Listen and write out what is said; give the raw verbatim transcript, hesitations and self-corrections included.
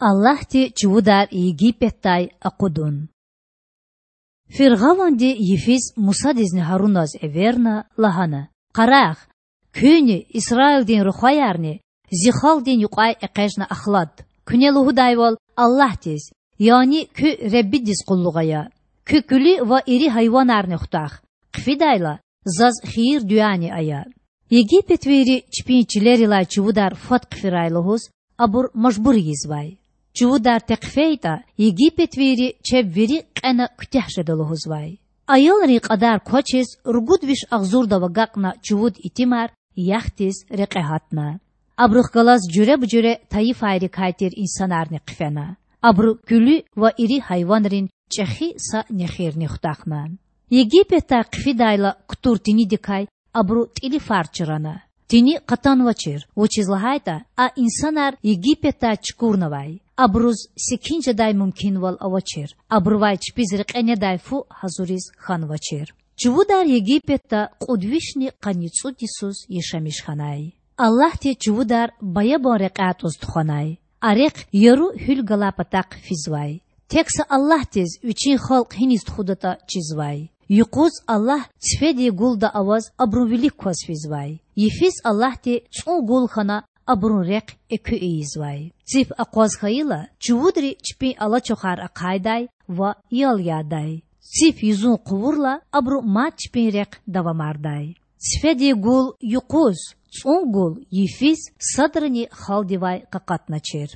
Аллагьди чувудар Египетдай акъудун. Фиргъаванди йифиз Мусадизни Гьаруназ эверна, лагьана: Къарагъ, куьнни, Исраилдин рухваярни Зи халкьдин юкьвай экъечІна ахлад. Куьне лугьудайвал, Аллагьдиз, яни куь Худадиз къуллугъ ая. Куь куьлуь ва ири гьайванарни хутах, хъфидайла, Заз хийир-дуьани ая. Египетвийри чпин чилерилай чувудар фад хъфирай лугьуз абур мажбур ийизвай. Чувудар тек хъфейтІа, египетвийри чеб вири кьена куьтягь жеда лугьузвай. Аялрин кьадар квачиз, ругуд виш агъзурдав агакьна чувуд итимар яхдиз рекье гьатна. Абурухъ галаз жуьреба-жуьре тайифайрикай тир инсанарни хъфена. Абуру куьлуь ва ири гьайванрин чІехи са нехирни хутахна. Египетдай хъфидайла кутур тинидикай абуру тІили фар чрана. Тини къатанвачир, вучиз лагьайтІа а инсанар Египетдай чукурнавай. Абуруз секин жедай мумкинвал авачир, абурувай чпиз рекье недай фу гьазуриз хьанвачир. Чувудар Египетда кьуд вишни къанни цІуд йисуз яшамиш хьанай. Аллагьди чувудар баябан рекьяй тІуз тухванай. А рехъ яру гьуьл галай патахъ физвай. Тек са Аллагьдиз Вичин халкь гьиниз тухудатІа чизвай. Юкъуз Аллагь цифедин гулда аваз абурун вилик кваз физвай. Йифиз Аллагьди цІун гул хьана абурун рехъ экуь ийизвай. Циф акъваз хьайила, чувудри чпин алачухар ахъайдай ва ял ядай. Циф юзун хъувурла, абуру мад чпин рехъ давамардай. Цифедин гул юкъуз, цІун гул йифиз садрани халкьдивай къакъатначир.